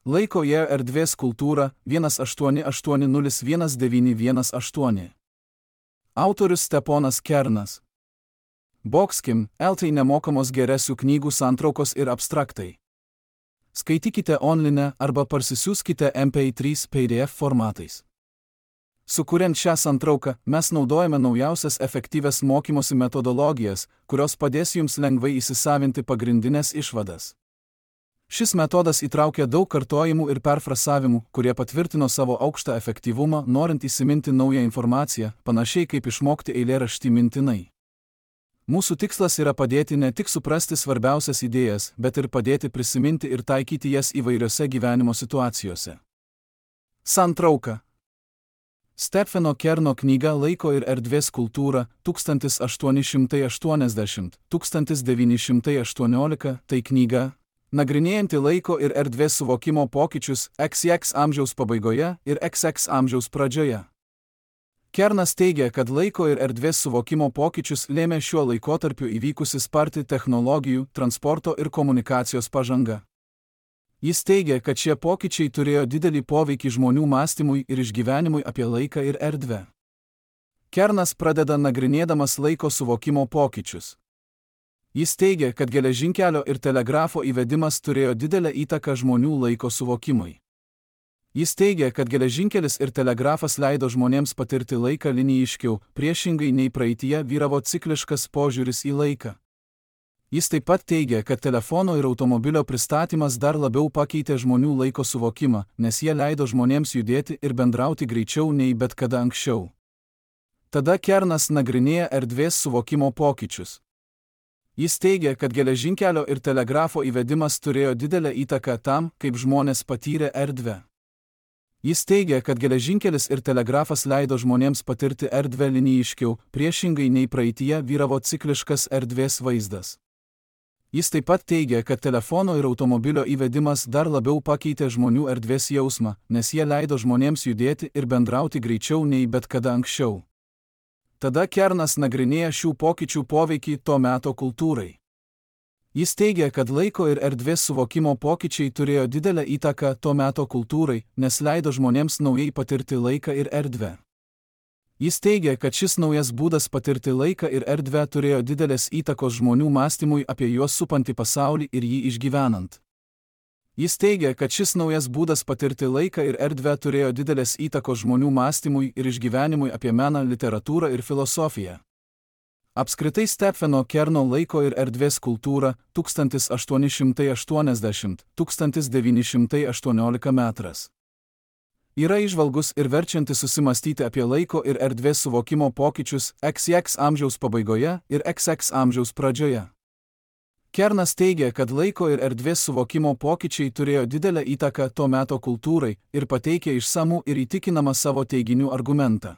Laiko ir erdvės kultūra 188011918. Autorius Steponas Kernas. Boxkim, LT nemokamos geresių knygų santraukos ir abstraktai. Skaitykite online arba parsisiųskite MP3 PDF formatais. Sukuriant šią santrauką, mes naudojame naujausias efektyvias mokymosi metodologijas, kurios padės jums lengvai įsisavinti pagrindinės išvadas. Šis metodas įtraukia daug kartojimų ir perfrasavimų, kurie patvirtino savo aukštą efektyvumą, norint įsiminti naują informaciją, panašiai kaip išmokti eilėraštį mintinai. Mūsų tikslas yra padėti ne tik suprasti svarbiausias idėjas, bet ir padėti prisiminti ir taikyti jas įvairiose gyvenimo situacijose. Santrauka. Stefano Kerno knyga Laiko ir erdvės kultūra 1880–1918. Tai knyga, nagrinėjanti laiko ir erdvės suvokimo pokyčius XX amžiaus pabaigoje ir XX amžiaus pradžioje. Kernas teigia, kad laiko ir erdvės suvokimo pokyčius lėmė šiuo laikotarpiu įvykusi sparti technologijų, transporto ir komunikacijos pažanga. Jis teigia, kad šie pokyčiai turėjo didelį poveikį žmonių mąstymui ir išgyvenimui apie laiką ir erdvę. Kernas pradeda nagrinėdamas laiko suvokimo pokyčius. Jis teigia, kad geležinkelio ir telegrafo įvedimas turėjo didelę įtaką žmonių laiko suvokimui. Jis teigia, kad geležinkelis ir telegrafas leido žmonėms patirti laiką linijiškiau, priešingai nei praeityje vyravo cikliškas požiūris į laiką. Jis taip pat teigia, kad telefono ir automobilio pristatymas dar labiau pakeitė žmonių laiko suvokimą, nes jie leido žmonėms judėti ir bendrauti greičiau nei bet kada anksčiau. Tada Kernas nagrinėja erdvės suvokimo pokyčius. Jis teigia, kad geležinkelio ir telegrafo įvedimas turėjo didelę įtaką tam, kaip žmonės patyrė erdvę. Jis teigia, kad geležinkelis ir telegrafas leido žmonėms patirti erdvę linijiškiau, priešingai nei praeityje vyravo cikliškas erdvės vaizdas. Jis taip pat teigia, kad telefono ir automobilio įvedimas dar labiau pakeitė žmonių erdvės jausmą, nes jie leido žmonėms judėti ir bendrauti greičiau nei bet kada anksčiau. Tada Kernas nagrinėja šių pokyčių poveikį to meto kultūrai. Jis teigia, kad laiko ir erdvės suvokimo pokyčiai turėjo didelę įtaką to meto kultūrai, nes leido žmonėms naujai patirti laiką ir erdvę. Jis teigia, kad šis naujas būdas patirti laiką ir erdvę turėjo didelės įtakos žmonių mąstymui apie juos supantį pasaulį ir jį išgyvenant. Jis teigia, kad šis naujas būdas patirti laiką ir erdvę turėjo didelės įtakos žmonių mąstymui ir išgyvenimui apie meną, literatūrą ir filosofiją. Apskritai Stefano Kerno laiko ir erdvės kultūra 1880–1918 metras. Yra įžvalgus ir verčiantis susimastyti apie laiko ir erdvės suvokimo pokyčius XX amžiaus pabaigoje ir XX amžiaus pradžioje. Kernas teigia, kad laiko ir erdvės suvokimo pokyčiai turėjo didelę įtaką to meto kultūrai ir pateikė išsamų ir įtikinamą savo teiginių argumentą.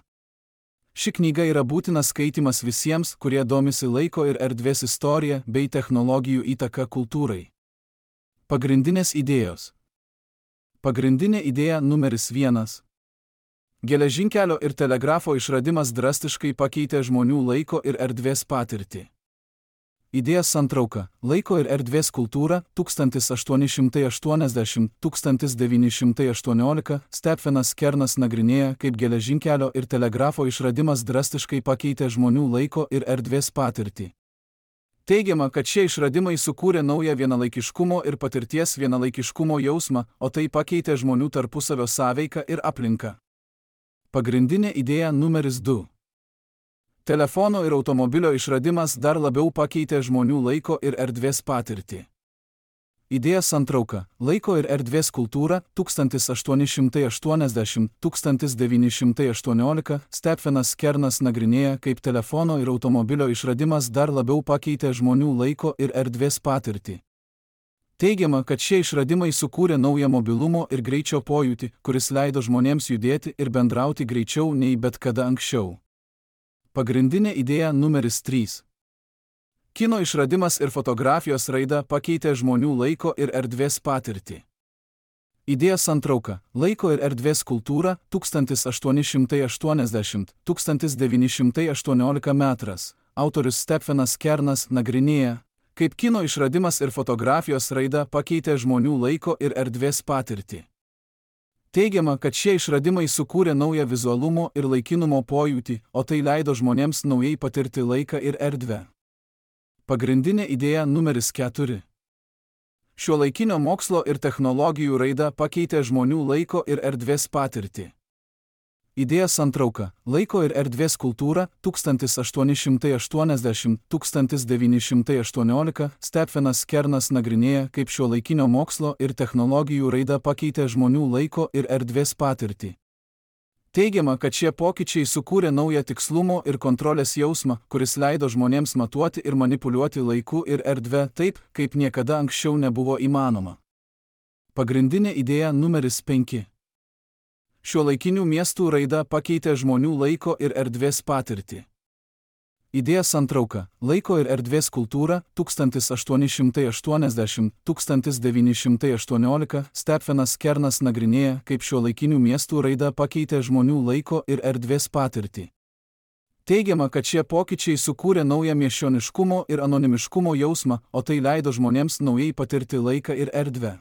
Ši knyga yra būtinas skaitimas visiems, kurie domisi laiko ir erdvės istorija bei technologijų įtaka kultūrai. Pagrindinės idėjos. Pagrindinė idėja numeris 1. Geležinkelio ir telegrafo išradimas drastiškai pakeitė žmonių laiko ir erdvės patirtį. Idėja santrauka. Laiko ir erdvės kultūra 1880–1918. Stefanas Kernas nagrinėja, kaip geležinkelio ir telegrafo išradimas drastiškai pakeitė žmonių laiko ir erdvės patirtį. Teigiama, kad šie išradimai sukūrė naują vienalaikiškumo ir patirties vienalaikiškumo jausmą, o tai pakeitė žmonių tarpusavio sąveiką ir aplinką. Pagrindinė idėja numeris 2. Telefono ir automobilio išradimas dar labiau pakeitė žmonių laiko ir erdvės patirtį. Idėja santrauka. Laiko ir erdvės kultūra 1880–1918. Stefanas Kernas nagrinėja, kaip telefono ir automobilio išradimas dar labiau pakeitė žmonių laiko ir erdvės patirtį. Teigiama, kad šie išradimai sukūrė naują mobilumo ir greičio pojūtį, kuris leido žmonėms judėti ir bendrauti greičiau nei bet kada anksčiau. Pagrindinė idėja numeris 3. Kino išradimas ir fotografijos raida pakeitė žmonių laiko ir erdvės patirtį. Idėja santrauka. Laiko ir erdvės kultūra 1880–1918 metras. Autorius Stefanas Kernas nagrinėja, Kaip kino išradimas ir fotografijos raida pakeitė žmonių laiko ir erdvės patirtį. Teigiama, kad šie išradimai sukūrė naują vizualumo ir laikinumo pojūtį, o tai leido žmonėms naujai patirti laiką ir erdvę. Pagrindinė idėja numeris 4. Šiuolaikinio mokslo ir technologijų raida pakeitė žmonių laiko ir erdvės patirtį. Idėja santrauka – laiko ir erdvės kultūra 1880–1918 Stephenas Kernas nagrinėja, kaip šiuolaikinio mokslo ir technologijų raida pakeitė žmonių laiko ir erdvės patirtį. Teigiama, kad šie pokyčiai sukūrė naują tikslumo ir kontrolės jausmą, kuris leido žmonėms matuoti ir manipuliuoti laiku ir erdve taip, kaip niekada anksčiau nebuvo įmanoma. Pagrindinė idėja numeris 5. Šiuolaikinių miestų raida pakeitė žmonių laiko ir erdvės patirtį. Idėja santrauka – laiko ir erdvės kultūra 1880–1918 Stephenas Kernas nagrinėja, kaip šiuolaikinių miestų raida pakeitė žmonių laiko ir erdvės patirtį. Teigiama, kad šie pokyčiai sukūrė naują miesčioniškumo ir anonimiškumo jausmą, o tai leido žmonėms naujai patirti laiką ir erdvę.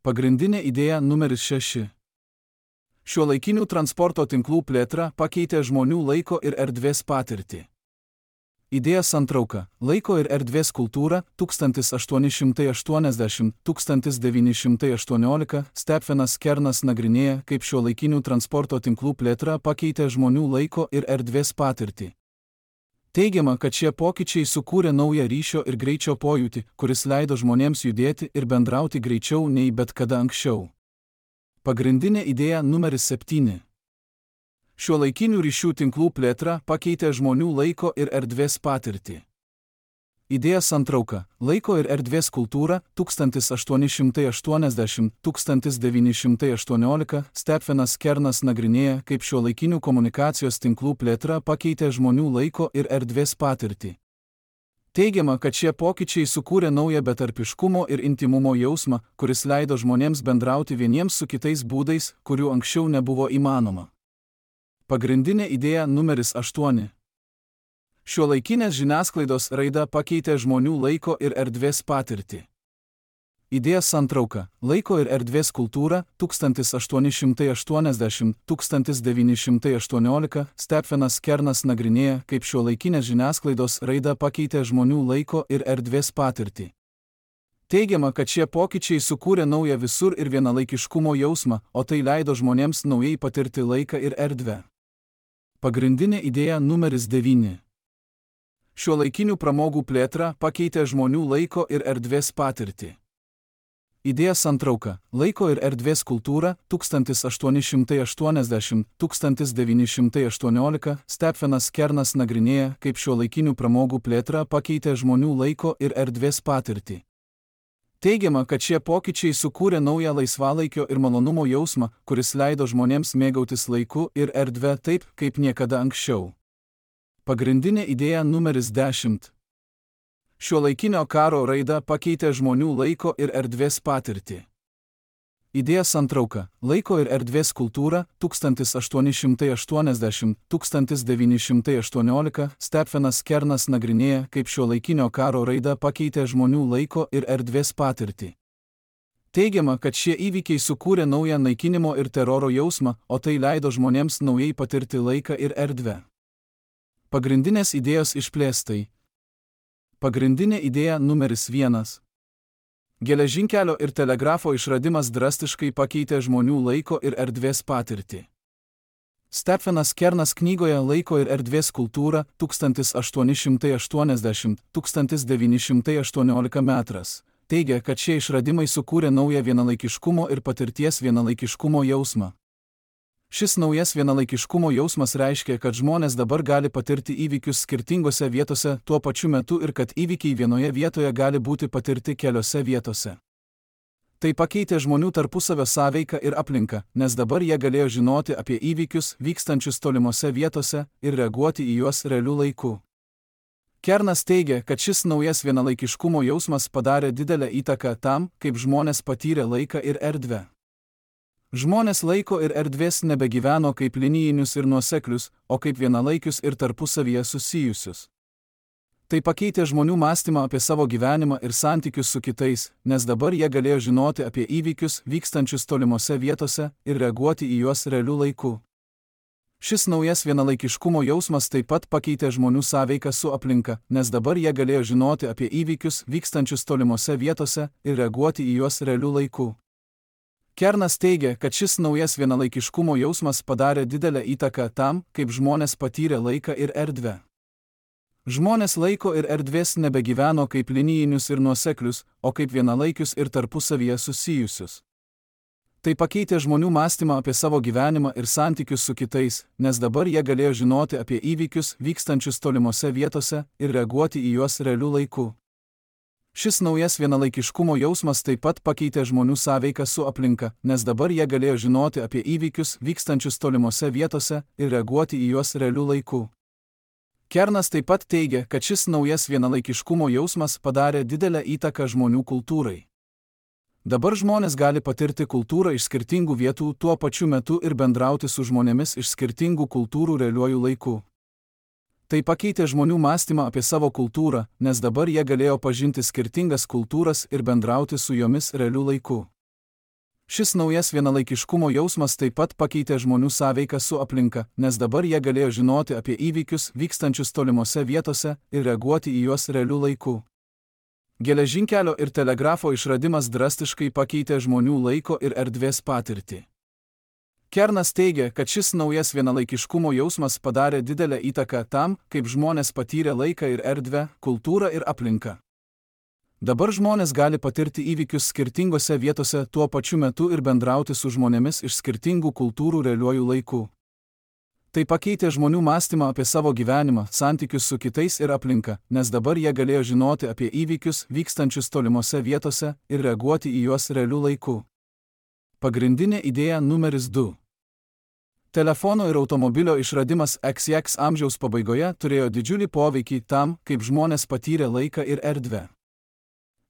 Pagrindinė idėja numeris 6. Šiuolaikinių transporto tinklų plėtra pakeitė žmonių laiko ir erdvės patirtį. Idėja santrauka – laiko ir erdvės kultūra 1880–1918 Stephenas Kernas nagrinėja, kaip šiuolaikinių transporto tinklų plėtra pakeitė žmonių laiko ir erdvės patirtį. Teigiama, kad šie pokyčiai sukūrė naują ryšio ir greičio pojūtį, kuris leido žmonėms judėti ir bendrauti greičiau nei bet kada anksčiau. Pagrindinė idėja numeris 7. Šiuolaikinių ryšių tinklų plėtra pakeitė žmonių laiko ir erdvės patirtį. Idėja santrauka – laiko ir erdvės kultūra 1880–1918 Stephenas Kernas nagrinėja, kaip šiuolaikinių komunikacijos tinklų plėtra pakeitė žmonių laiko ir erdvės patirtį. Teigiama, kad šie pokyčiai sukūrė naują betarpiškumo ir intymumo jausmą, kuris leido žmonėms bendrauti vieniems su kitais būdais, kurių anksčiau nebuvo įmanoma. Pagrindinė idėja numeris 8. Šiuolaikinės žiniasklaidos raida pakeitė žmonių laiko ir erdvės patirtį. Idėja santrauka – laiko ir erdvės kultūra 1880–1918 Stephenas Kernas nagrinėja, kaip šiuolaikinės žiniasklaidos raida pakeitė žmonių laiko ir erdvės patirtį. Teigiama, kad šie pokyčiai sukūrė naują visur ir vienalaikiškumo jausmą, o tai leido žmonėms naujai patirti laiką ir erdvę. Pagrindinė idėja numeris 9. Šiuolaikinių pramogų plėtra pakeitė žmonių laiko ir erdvės patirtį. Idėja santrauka – laiko ir erdvės kultūra 1880–1918 Stephenas Kernas nagrinėja, kaip šiuolaikinių pramogų plėtra pakeitė žmonių laiko ir erdvės patirtį. Teigiama, kad šie pokyčiai sukūrė naują laisvalaikio ir malonumo jausmą, kuris leido žmonėms mėgautis laiku ir erdve taip, kaip niekada anksčiau. Pagrindinė idėja numeris 10. Šiuolaikinio karo raida pakeitė žmonių laiko ir erdvės patirtį. Idėja santrauka – laiko ir erdvės kultūra 1880–1918 Stephenas Kernas nagrinėja, kaip šiuolaikinio karo raida pakeitė žmonių laiko ir erdvės patirtį. Teigiama, kad šie įvykiai sukūrė naują naikinimo ir teroro jausmą, o tai leido žmonėms naujai patirti laiką ir erdvę. Pagrindinės idėjos išplėstai. Pagrindinė idėja numeris 1. Geležinkelio ir telegrafo išradimas drastiškai pakeitė žmonių laiko ir erdvės patirtį. Stephenas Kernas knygoje Laiko ir erdvės kultūra 1880–1918 metras teigia, kad šie išradimai sukūrė naują vienalaikiškumo ir patirties vienalaikiškumo jausmą. Šis naujas vienalaikiškumo jausmas reiškia, kad žmonės dabar gali patirti įvykius skirtingose vietose tuo pačiu metu ir kad įvykiai vienoje vietoje gali būti patirti keliose vietose. Tai pakeitė žmonių tarpusavio sąveiką ir aplinką, nes dabar jie galėjo žinoti apie įvykius vykstančius tolimose vietose ir reaguoti į juos realiu laiku. Kernas teigia, kad šis naujas vienalaikiškumo jausmas padarė didelę įtaką tam, kaip žmonės patyrė laiką ir erdvę. Žmonės laiko ir erdvės nebegyveno kaip linijinius ir nuoseklius, o kaip vienalaikius ir tarpusavyje susijusius. Tai pakeitė žmonių mąstymą apie savo gyvenimą ir santykius su kitais, nes dabar jie galėjo žinoti apie įvykius vykstančius tolimose vietose ir reaguoti į juos realiu laiku. Šis naujas vienalaikiškumo jausmas taip pat pakeitė žmonių sąveiką su aplinka, nes dabar jie galėjo žinoti apie įvykius vykstančius tolimose vietose ir reaguoti į juos realiu laiku. Kernas teigia, kad šis naujas vienalaikiškumo jausmas padarė didelę įtaką tam, kaip žmonės patyrė laiką ir erdvę. Žmonės laiko ir erdvės nebegyveno kaip linijinius ir nuoseklius, o kaip vienalaikius ir tarpusavyje susijusius. Tai pakeitė žmonių mąstymą apie savo gyvenimą ir santykius su kitais, nes dabar jie galėjo žinoti apie įvykius vykstančius tolimose vietose ir reaguoti į juos realiu laiku. Šis naujas vienalaikiškumo jausmas taip pat pakeitė žmonių sąveiką su aplinka, nes dabar jie galėjo žinoti apie įvykius vykstančius tolimose vietose ir reaguoti į juos realiu laiku. Kernas taip pat teigia, kad šis naujas vienalaikiškumo jausmas padarė didelę įtaką žmonių kultūrai. Dabar žmonės gali patirti kultūrą iš skirtingų vietų tuo pačiu metu ir bendrauti su žmonėmis iš skirtingų kultūrų realiuoju laiku. Tai pakeitė žmonių mąstymą apie savo kultūrą, nes dabar jie galėjo pažinti skirtingas kultūras ir bendrauti su jomis realiu laiku. Šis naujas vienalaikiškumo jausmas taip pat pakeitė žmonių sąveiką su aplinka, nes dabar jie galėjo žinoti apie įvykius vykstančius tolimose vietose ir reaguoti į juos realiu laiku. Geležinkelio ir telegrafo išradimas drastiškai pakeitė žmonių laiko ir erdvės patirtį. Kernas teigia, kad šis naujas vienalaikiškumo jausmas padarė didelę įtaką tam, kaip žmonės patyrė laiką ir erdvę, kultūrą ir aplinką. Dabar žmonės gali patirti įvykius skirtingose vietose tuo pačiu metu ir bendrauti su žmonėmis iš skirtingų kultūrų realiuoju laiku. Tai pakeitė žmonių mąstymą apie savo gyvenimą, santykius su kitais ir aplinka, nes dabar jie galėjo žinoti apie įvykius vykstančius tolimose vietose ir reaguoti į juos realiu laiku. Pagrindinė idėja numeris 2. Telefono ir automobilio išradimas XX amžiaus pabaigoje turėjo didžiulį poveikį tam, kaip žmonės patyrė laiką ir erdvę.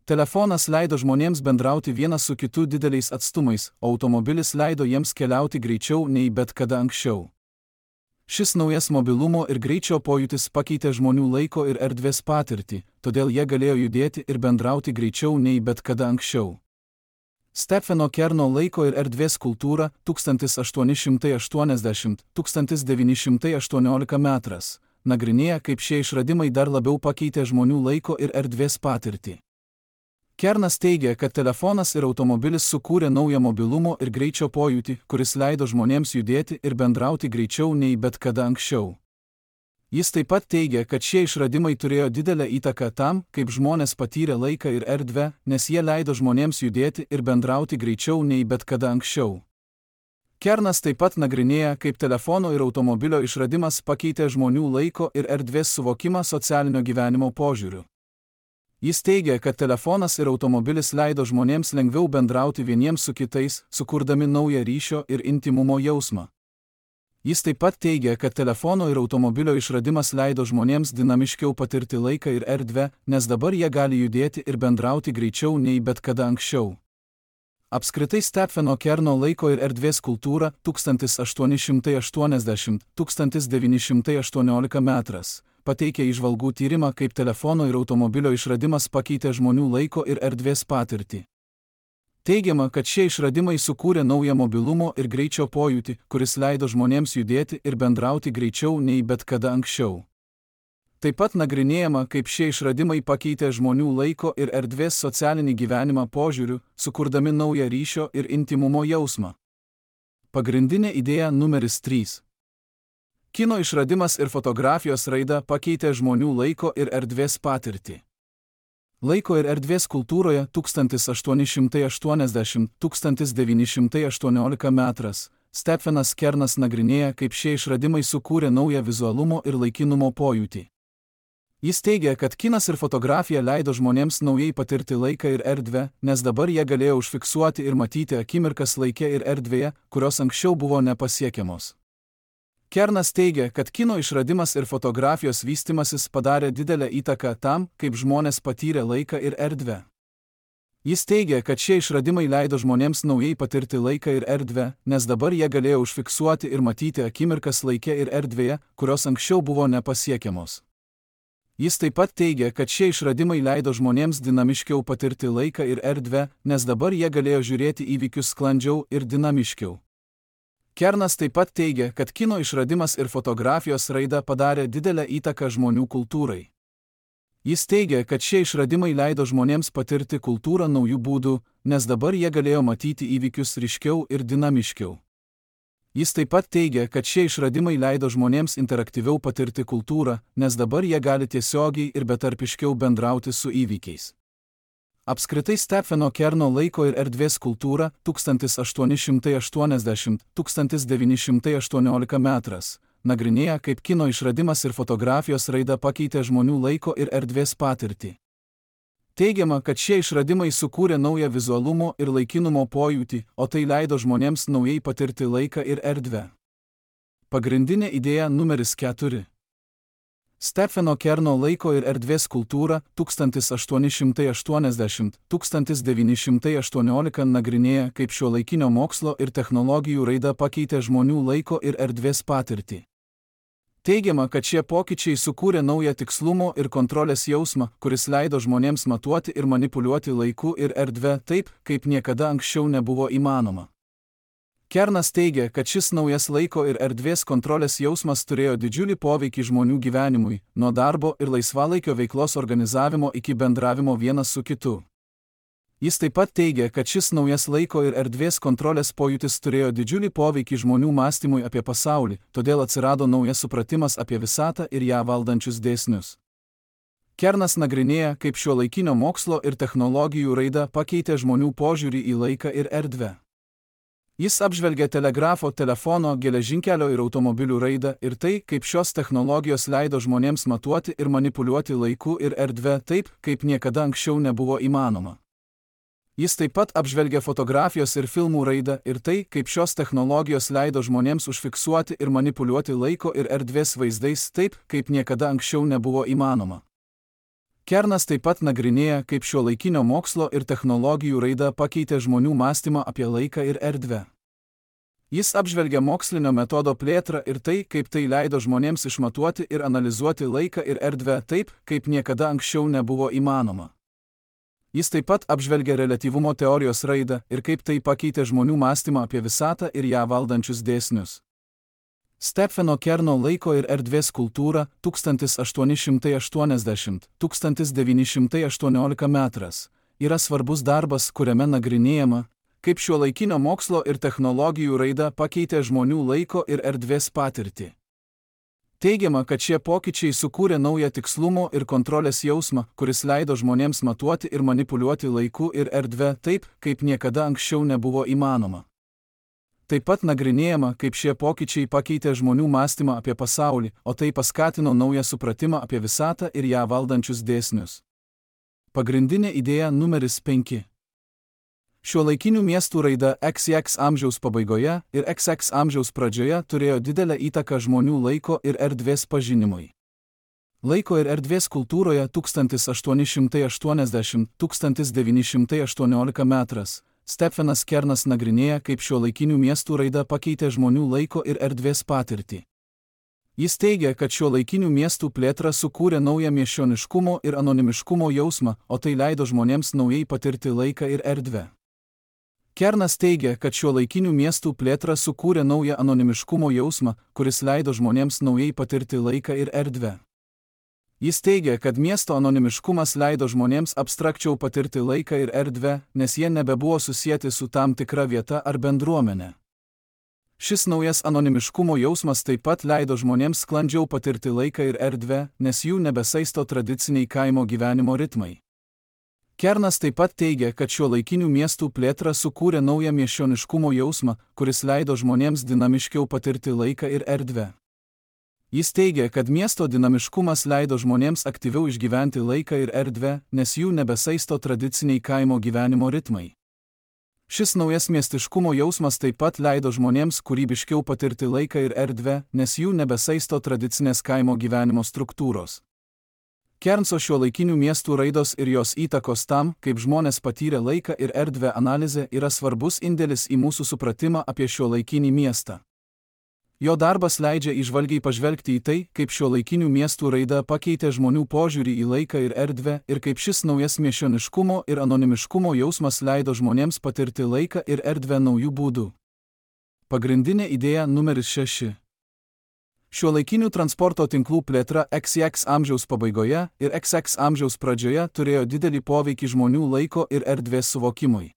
Telefonas leido žmonėms bendrauti vienas su kitu dideliais atstumais, o automobilis leido jiems keliauti greičiau nei bet kada anksčiau. Šis naujas mobilumo ir greičio pojūtis pakeitė žmonių laiko ir erdvės patirtį, todėl jie galėjo judėti ir bendrauti greičiau nei bet kada anksčiau. Stepheno Kerno laiko ir erdvės kultūra 1880–1918 metras nagrinėja, kaip šie išradimai dar labiau pakeitė žmonių laiko ir erdvės patirtį. Kernas teigia, kad telefonas ir automobilis sukūrė naują mobilumo ir greičio pojūtį, kuris leido žmonėms judėti ir bendrauti greičiau nei bet kada anksčiau. Jis taip pat teigia, kad šie išradimai turėjo didelę įtaką tam, kaip žmonės patyrė laiką ir erdvę, nes jie leido žmonėms judėti ir bendrauti greičiau nei bet kada anksčiau. Kernas taip pat nagrinėja, kaip telefono ir automobilio išradimas pakeitė žmonių laiko ir erdvės suvokimą socialinio gyvenimo požiūriu. Jis teigia, kad telefonas ir automobilis leido žmonėms lengviau bendrauti vieniems su kitais, sukurdami naują ryšio ir intymumo jausmą. Jis taip pat teigia, kad telefono ir automobilio išradimas leido žmonėms dinamiškiau patirti laiką ir erdvę, nes dabar jie gali judėti ir bendrauti greičiau nei bet kada anksčiau. Apskritai Stepheno Kerno laiko ir erdvės kultūra 1880–1918 metras pateikė įžvalgų tyrimą, kaip telefono ir automobilio išradimas pakeitė žmonių laiko ir erdvės patirtį. Teigiama, kad šie išradimai sukūrė naują mobilumo ir greičio pojūtį, kuris leido žmonėms judėti ir bendrauti greičiau nei bet kada anksčiau. Taip pat nagrinėjama, kaip šie išradimai pakeitė žmonių laiko ir erdvės socialinį gyvenimą požiūriu, sukurdami naują ryšio ir intymumo jausmą. Pagrindinė idėja numeris 3. Kino išradimas ir fotografijos raida pakeitė žmonių laiko ir erdvės patirtį. Laiko ir erdvės kultūroje 1880–1918 metras Stephenas Kernas nagrinėja, kaip šie išradimai sukūrė naują vizualumo ir laikinumo pojūtį. Jis teigia, kad kinas ir fotografija leido žmonėms naujai patirti laiką ir erdvę, nes dabar jie galėjo užfiksuoti ir matyti akimirkas laike ir erdvėje, kurios anksčiau buvo nepasiekiamos. Kernas teigia, kad kino išradimas ir fotografijos vystimasis padarė didelę įtaką tam, kaip žmonės patyrė laiką ir erdvę. Jis teigia, kad šie išradimai leido žmonėms naujai patirti laiką ir erdvę, nes dabar jie galėjo užfiksuoti ir matyti akimirkas laike ir erdvėje, kurios anksčiau buvo nepasiekiamos. Jis taip pat teigia, kad šie išradimai leido žmonėms dinamiškiau patirti laiką ir erdvę, nes dabar jie galėjo žiūrėti įvykius sklandžiau ir dinamiškiau. Kernas taip pat teigia, kad kino išradimas ir fotografijos raida padarė didelę įtaką žmonių kultūrai. Jis teigia, kad šie išradimai leido žmonėms patirti kultūrą naujų būdų, nes dabar jie galėjo matyti įvykius ryškiau ir dinamiškiau. Jis taip pat teigia, kad šie išradimai leido žmonėms interaktyviau patirti kultūrą, nes dabar jie gali tiesiogiai ir betarpiškiau bendrauti su įvykiais. Apskritai Stepheno Kerno laiko ir erdvės kultūra 1880–1918 metras nagrinėja, kaip kino išradimas ir fotografijos raida pakeitė žmonių laiko ir erdvės patirtį. Teigiama, kad šie išradimai sukūrė naują vizualumo ir laikinumo pojūtį, o tai leido žmonėms naujai patirti laiką ir erdvę. Pagrindinė idėja numeris 4. Stepheno Kerno laiko ir erdvės kultūra 1880–1918 nagrinėja, kaip šiuolaikinio mokslo ir technologijų raida pakeitė žmonių laiko ir erdvės patirtį. Teigiama, kad šie pokyčiai sukūrė naują tikslumo ir kontrolės jausmą, kuris leido žmonėms matuoti ir manipuliuoti laiku ir erdve taip, kaip niekada anksčiau nebuvo įmanoma. Kernas teigia, kad šis naujas laiko ir erdvės kontrolės jausmas turėjo didžiulį poveikį žmonių gyvenimui, nuo darbo ir laisvalaikio veiklos organizavimo iki bendravimo vienas su kitu. Jis taip pat teigia, kad šis naujas laiko ir erdvės kontrolės pojūtis turėjo didžiulį poveikį žmonių mąstymui apie pasaulį, todėl atsirado naujas supratimas apie visatą ir ją valdančius dėsnius. Kernas nagrinėja, kaip šiuolaikinio mokslo ir technologijų raida pakeitė žmonių požiūrį į laiką ir erdvę. Jis apžvelgia telegrafo, telefono, geležinkelio ir automobilių raidą ir tai, kaip šios technologijos leido žmonėms matuoti ir manipuliuoti laiku ir erdve taip, kaip niekada anksčiau nebuvo įmanoma. Jis taip pat apžvelgia fotografijos ir filmų raidą ir tai, kaip šios technologijos leido žmonėms užfiksuoti ir manipuliuoti laiko ir erdvės vaizdais taip, kaip niekada anksčiau nebuvo įmanoma. Kernas taip pat nagrinėja, kaip šiuolaikinio mokslo ir technologijų raida pakeitė žmonių mąstymą apie laiką ir erdvę. Jis apžvelgia mokslinio metodo plėtrą ir tai, kaip tai leido žmonėms išmatuoti ir analizuoti laiką ir erdvę taip, kaip niekada anksčiau nebuvo įmanoma. Jis taip pat apžvelgia reliatyvumo teorijos raidą ir kaip tai pakeitė žmonių mąstymą apie visatą ir ją valdančius dėsnius. Stepheno Kerno laiko ir erdvės kultūra 1880–1918 metras yra svarbus darbas, kuriame nagrinėjama, kaip šiuolaikinio mokslo ir technologijų raida pakeitė žmonių laiko ir erdvės patirtį. Teigiama, kad šie pokyčiai sukūrė naują tikslumo ir kontrolės jausmą, kuris leido žmonėms matuoti ir manipuliuoti laiku ir erdve taip, kaip niekada anksčiau nebuvo įmanoma. Taip pat nagrinėjama, kaip šie pokyčiai pakeitė žmonių mąstymą apie pasaulį, o tai paskatino naują supratimą apie visatą ir ją valdančius dėsnius. Pagrindinė idėja numeris 5. Šiuolaikinių miestų raida XX amžiaus pabaigoje ir XX amžiaus pradžioje turėjo didelę įtaką žmonių laiko ir erdvės pažinimui. Laiko ir erdvės kultūroje 1880–1918 metras Stephenas Kernas nagrinėja, kaip šiuolaikinių miestų raida pakeitė žmonių laiko ir erdvės patirtį. Jis teigia, kad šiuolaikinių miestų plėtra sukūrė naują miesčioniškumo ir anonimiškumo jausmą, o tai leido žmonėms naujai patirti laiką ir erdvę. Kernas teigia, kad šiuolaikinių miestų plėtra sukūrė naują anonimiškumo jausmą, kuris leido žmonėms naujai patirti laiką ir erdvę. Jis teigia, kad miesto anonimiškumas leido žmonėms abstrakčiau patirti laiką ir erdvę, nes jie nebebuvo susieti su tam tikra vieta ar bendruomenė. Šis naujas anonimiškumo jausmas taip pat leido žmonėms sklandžiau patirti laiką ir erdvę, nes jų nebesaisto tradiciniai kaimo gyvenimo ritmai. Kernas taip pat teigia, kad šiuolaikinių miestų plėtra sukūrė naują miesčioniškumo jausmą, kuris leido žmonėms dinamiškiau patirti laiką ir erdvę. Jis teigia, kad miesto dinamiškumas leido žmonėms aktyviau išgyventi laiką ir erdvę, nes jų nebesaisto tradiciniai kaimo gyvenimo ritmai. Šis naujas miestiškumo jausmas taip pat leido žmonėms kūrybiškiau patirti laiką ir erdvę, nes jų nebesaisto tradicinės kaimo gyvenimo struktūros. Kernso šiuolaikinių miestų raidos ir jos įtakos tam, kaip žmonės patyrė laiką ir erdvę analizė yra svarbus indėlis į mūsų supratimą apie šiuolaikinį miestą. Jo darbas leidžia įžvalgiai pažvelgti į tai, kaip šiuolaikinių miestų raida pakeitė žmonių požiūrį į laiką ir erdvę ir kaip šis naujas miesčioniškumo ir anonimiškumo jausmas leido žmonėms patirti laiką ir erdvę naujų būdų. Pagrindinė idėja numeris 6. Šiuolaikinių transporto tinklų plėtra XX amžiaus pabaigoje ir XX amžiaus pradžioje turėjo didelį poveikį žmonių laiko ir erdvės suvokimui.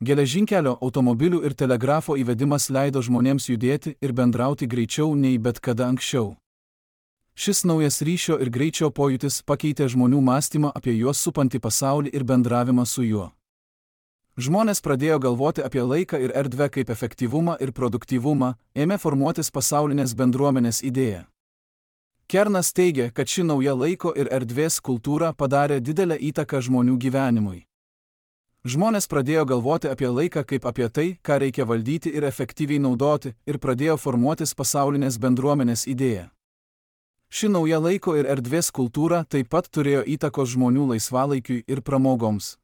Geležinkelio, automobilių ir telegrafo įvedimas leido žmonėms judėti ir bendrauti greičiau nei bet kada anksčiau. Šis naujas ryšio ir greičio pojūtis pakeitė žmonių mąstymą apie juos supantį pasaulį ir bendravimą su juo. Žmonės pradėjo galvoti apie laiką ir erdvę kaip efektyvumą ir produktyvumą, ėmė formuotis pasaulinės bendruomenės idėja. Kernas teigia, kad ši nauja laiko ir erdvės kultūra padarė didelę įtaką žmonių gyvenimui. Žmonės pradėjo galvoti apie laiką kaip apie tai, ką reikia valdyti ir efektyviai naudoti, ir pradėjo formuotis pasaulinės bendruomenės idėja. Ši nauja laiko ir erdvės kultūra taip pat turėjo įtakos žmonių laisvalaikiui ir pramogoms.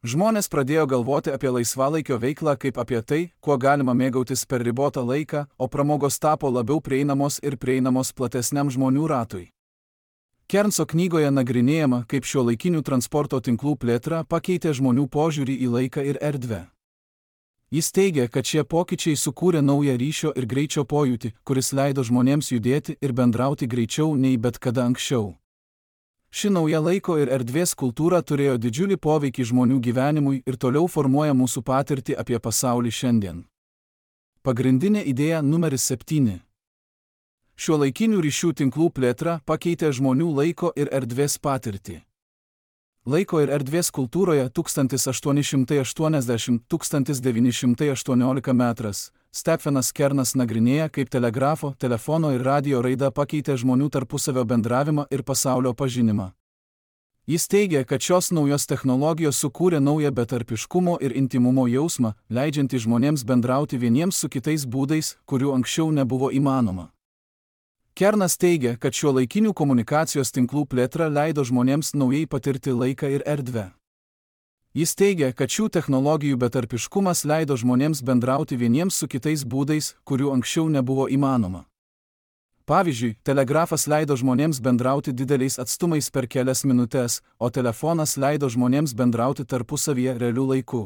Žmonės pradėjo galvoti apie laisvalaikio veiklą kaip apie tai, kuo galima mėgautis per ribotą laiką, o pramogos tapo labiau prieinamos ir prieinamos platesniam žmonių ratui. Kernso knygoje nagrinėjama, kaip šiuolaikinių transporto tinklų plėtra pakeitė žmonių požiūrį į laiką ir erdvę. Jis teigia, kad šie pokyčiai sukūrė naują ryšio ir greičio pojūtį, kuris leido žmonėms judėti ir bendrauti greičiau nei bet kada anksčiau. Ši nauja laiko ir erdvės kultūra turėjo didžiulį poveikį žmonių gyvenimui ir toliau formuoja mūsų patirtį apie pasaulį šiandien. Pagrindinė idėja numeris 7. Šiuolaikinių ryšių tinklų plėtra pakeitė žmonių laiko ir erdvės patirtį. Laiko ir erdvės kultūroje 1880–1918 metras Stephenas Kernas nagrinėja, kaip telegrafo, telefono ir radio raida pakeitė žmonių tarpusavio bendravimą ir pasaulio pažinimą. Jis teigia, kad šios naujos technologijos sukūrė naują betarpiškumo ir intymumo jausmą, leidžiantį žmonėms bendrauti vieniems su kitais būdais, kurių anksčiau nebuvo įmanoma. Kernas teigia, kad šiuolaikinių komunikacijos tinklų plėtra leido žmonėms naujai patirti laiką ir erdvę. Jis teigia, kad šių technologijų betarpiškumas leido žmonėms bendrauti vieniems su kitais būdais, kurių anksčiau nebuvo įmanoma. Pavyzdžiui, telegrafas leido žmonėms bendrauti dideliais atstumais per kelias minutes, o telefonas leido žmonėms bendrauti tarpusavyje realiu laiku.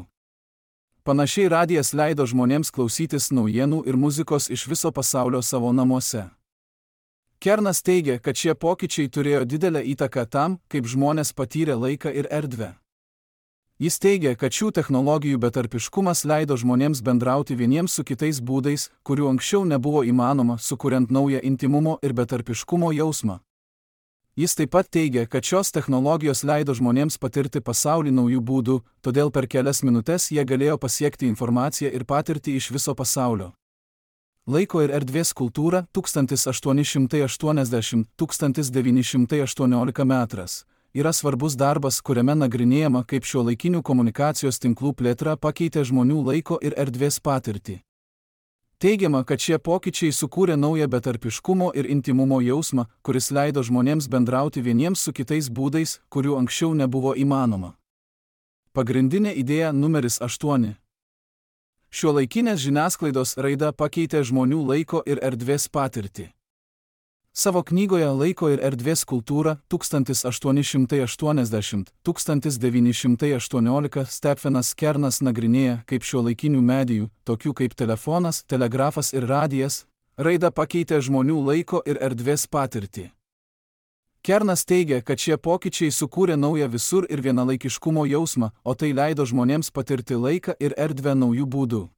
Panašiai radijas leido žmonėms klausytis naujienų ir muzikos iš viso pasaulio savo namuose. Kernas teigia, kad šie pokyčiai turėjo didelę įtaką tam, kaip žmonės patyrė laiką ir erdvę. Jis teigia, kad šių technologijų betarpiškumas leido žmonėms bendrauti vieniems su kitais būdais, kurių anksčiau nebuvo įmanoma, sukuriant naują intymumo ir betarpiškumo jausmą. Jis taip pat teigia, kad šios technologijos leido žmonėms patirti pasaulį naujų būdų, todėl per kelias minutes jie galėjo pasiekti informaciją ir patirtį iš viso pasaulio. Laiko ir erdvės kultūra 1880–1918 metras yra svarbus darbas, kuriame nagrinėjama, kaip šiuolaikinių komunikacijos tinklų plėtra pakeitė žmonių laiko ir erdvės patirtį. Teigiama, kad šie pokyčiai sukūrė naują betarpiškumo ir intymumo jausmą, kuris leido žmonėms bendrauti vieniems su kitais būdais, kurių anksčiau nebuvo įmanoma. Pagrindinė idėja numeris 8. Šiuolaikinės žiniasklaidos raida pakeitė žmonių laiko ir erdvės patirtį. Savo knygoje Laiko ir erdvės kultūra 1880–1918 Stephenas Kernas nagrinėja, kaip šiuolaikinių medijų, tokių kaip telefonas, telegrafas ir radijas, raida pakeitė žmonių laiko ir erdvės patirtį. Kernas teigia, kad šie pokyčiai sukūrė naują visur ir vienalaikiškumo jausmą, o tai leido žmonėms patirti laiką ir erdvę naujų būdų.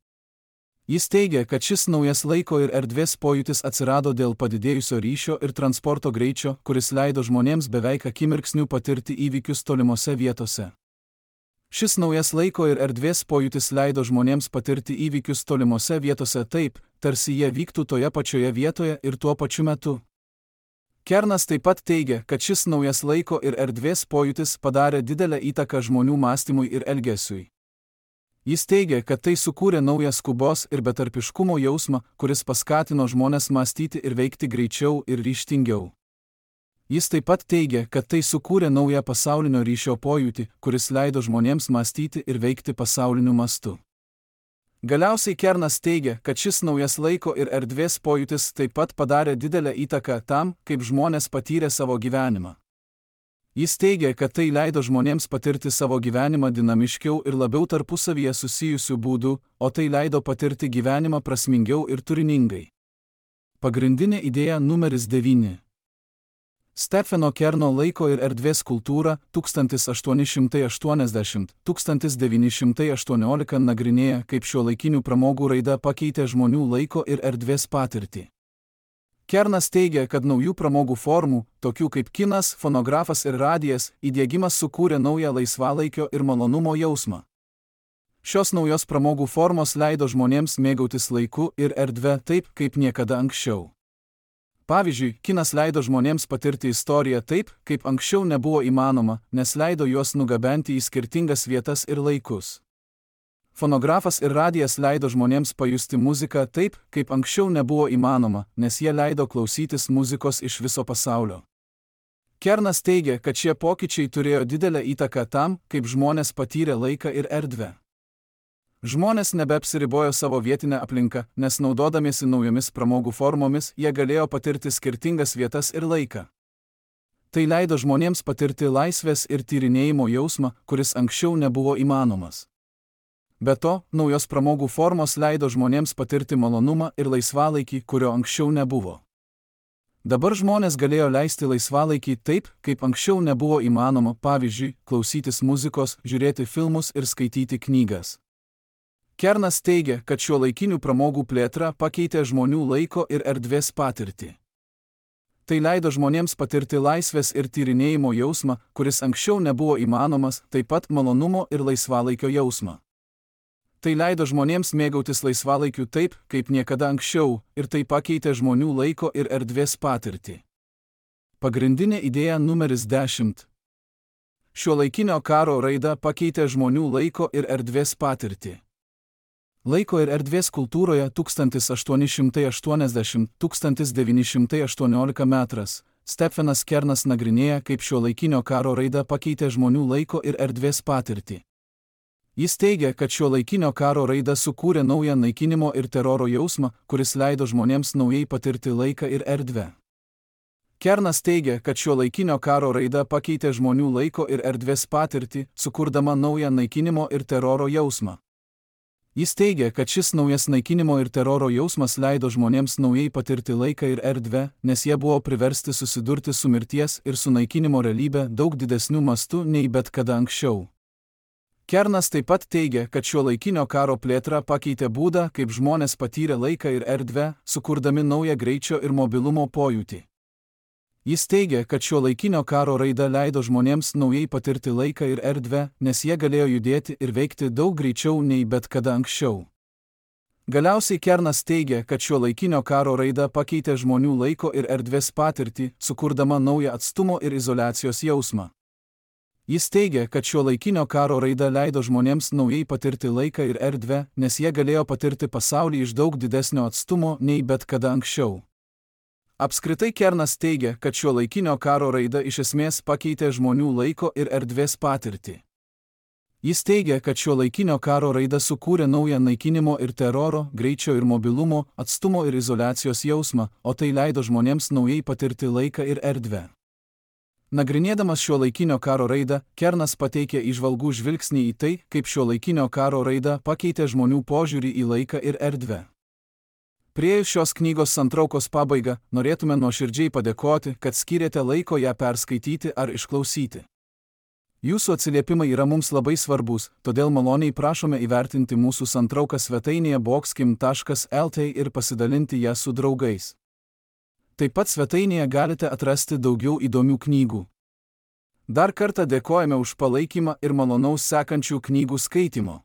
Jis teigia, kad šis naujas laiko ir erdvės pojūtis atsirado dėl padidėjusio ryšio ir transporto greičio, kuris leido žmonėms beveik akimirksniu patirti įvykius tolimose vietose. Šis naujas laiko ir erdvės pojūtis leido žmonėms patirti įvykius tolimose vietose taip, tarsi jie vyktų toje pačioje vietoje ir tuo pačiu metu. Kernas taip pat teigia, kad šis naujas laiko ir erdvės pojūtis padarė didelę įtaką žmonių mąstymui ir elgesiui. Jis teigia, kad tai sukūrė naują skubos ir betarpiškumo jausmą, kuris paskatino žmones mąstyti ir veikti greičiau ir ryžtingiau. Jis taip pat teigia, kad tai sukūrė naują pasaulinio ryšio pojūtį, kuris leido žmonėms mąstyti ir veikti pasauliniu mastu. Galiausiai Kernas teigia, kad šis naujas laiko ir erdvės pojūtis taip pat padarė didelę įtaką tam, kaip žmonės patyrė savo gyvenimą. Jis teigia, kad tai leido žmonėms patirti savo gyvenimą dinamiškiau ir labiau tarpusavyje susijusių būdų, o tai leido patirti gyvenimą prasmingiau ir turiningai. Pagrindinė idėja numeris 9. Stepheno Kerno laiko ir erdvės kultūra 1880–1918 nagrinėja, kaip šiuolaikinių pramogų raida pakeitė žmonių laiko ir erdvės patirtį. Kernas teigia, kad naujų pramogų formų, tokių kaip kinas, fonografas ir radijas, įdiegimas sukūrė naują laisvalaikio ir malonumo jausmą. Šios naujos pramogų formos leido žmonėms mėgautis laiku ir erdve taip, kaip niekada anksčiau. Pavyzdžiui, kinas leido žmonėms patirti istoriją taip, kaip anksčiau nebuvo įmanoma, nes leido juos nugabenti į skirtingas vietas ir laikus. Fonografas ir radijas leido žmonėms pajusti muziką taip, kaip anksčiau nebuvo įmanoma, nes jie leido klausytis muzikos iš viso pasaulio. Kernas teigia, kad šie pokyčiai turėjo didelę įtaką tam, kaip žmonės patyrė laiką ir erdvę. Žmonės nebeapsiribojo savo vietinę aplinką, nes naudodamiesi naujomis pramogų formomis, jie galėjo patirti skirtingas vietas ir laiką. Tai leido žmonėms patirti laisvės ir tyrinėjimo jausmą, kuris anksčiau nebuvo įmanomas. Be to, naujos pramogų formos leido žmonėms patirti malonumą ir laisvalaikį, kurio anksčiau nebuvo. Dabar žmonės galėjo leisti laisvalaikį taip, kaip anksčiau nebuvo įmanoma, pavyzdžiui, klausytis muzikos, žiūrėti filmus ir skaityti knygas. Kernas teigia, kad šiuolaikinių pramogų plėtra pakeitė žmonių laiko ir erdvės patirtį. Tai leido žmonėms patirti laisvės ir tyrinėjimo jausmą, kuris anksčiau nebuvo įmanomas, taip pat malonumo ir laisvalaikio jausmą. Tai leido žmonėms mėgautis laisvalaikiu taip, kaip niekada anksčiau, ir tai pakeitė žmonių laiko ir erdvės patirtį. Pagrindinė idėja numeris 10. Šiuolaikinio karo raida pakeitė žmonių laiko ir erdvės patirtį. Laiko ir erdvės kultūroje 1880–1918 metras Stephenas Kernas nagrinėja, kaip šiuolaikinio karo raida pakeitė žmonių laiko ir erdvės patirtį. Jis teigia, kad šiuolaikinio karo raida sukūrė naują naikinimo ir teroro jausmą, kuris leido žmonėms naujai patirti laiką ir erdvę. Kernas teigia, kad šiuolaikinio karo raida pakeitė žmonių laiko ir erdvės patirtį, sukurdama naują naikinimo ir teroro jausmą. Jis teigia, kad šis naujas naikinimo ir teroro jausmas leido žmonėms naujai patirti laiką ir erdvę, nes jie buvo priversti susidurti su mirties ir sunaikinimo realybė daug didesniu mastu nei bet kada anksčiau. Kernas taip pat teigia, kad šiuolaikinio karo plėtra pakeitė būdą, kaip žmonės patyrė laiką ir erdvę, sukurdami naują greičio ir mobilumo pojūtį. Jis teigia, kad šiuolaikinio karo raida leido žmonėms naujai patirti laiką ir erdvę, nes jie galėjo judėti ir veikti daug greičiau nei bet kada anksčiau. Galiausiai Kernas teigia, kad šiuolaikinio karo raida pakeitė žmonių laiko ir erdvės patirtį, sukurdama naują atstumo ir izoliacijos jausmą. Jis teigia, kad šiuolaikinio karo raida leido žmonėms naujai patirti laiką ir erdvę, nes jie galėjo patirti pasaulį iš daug didesnio atstumo nei bet kada anksčiau. Apskritai Kernas teigia, kad šiuolaikinio karo raida iš esmės pakeitė žmonių laiko ir erdvės patirtį. Jis teigia, kad šiuolaikinio karo raida sukūrė naują naikinimo ir teroro, greičio ir mobilumo, atstumo ir izoliacijos jausmą, o tai leido žmonėms naujai patirti laiką ir erdvę. Nagrinėdamas šiuolaikinio karo raidą, Kernas pateikė įžvalgų žvilgsnį į tai, kaip šiuolaikinio karo raida pakeitė žmonių požiūrį į laiką ir erdvę. Priėjus šios knygos santraukos pabaigą, norėtume nuoširdžiai padėkoti, kad skyrėte laiko ją perskaityti ar išklausyti. Jūsų atsiliepimai yra mums labai svarbus, todėl maloniai prašome įvertinti mūsų santrauką svetainėje boxkim.lt ir pasidalinti ją su draugais. Taip pat svetainėje galite atrasti daugiau įdomių knygų. Dar kartą dėkojame už palaikymą ir malonaus sekančių knygų skaitimo.